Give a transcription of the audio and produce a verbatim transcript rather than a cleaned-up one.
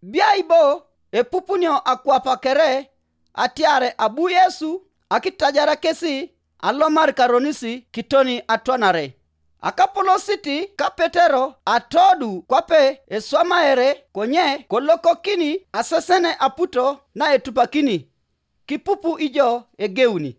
Biai bo epupunio akwapa kere atiare abu Yesu akitajara kesi alomar karonisi kitoni atwanare. Akapolositi ka Petero atodu kwape eswamaere konye kolokokini asesene aputo na etupakini, kipupu ijo egeuni.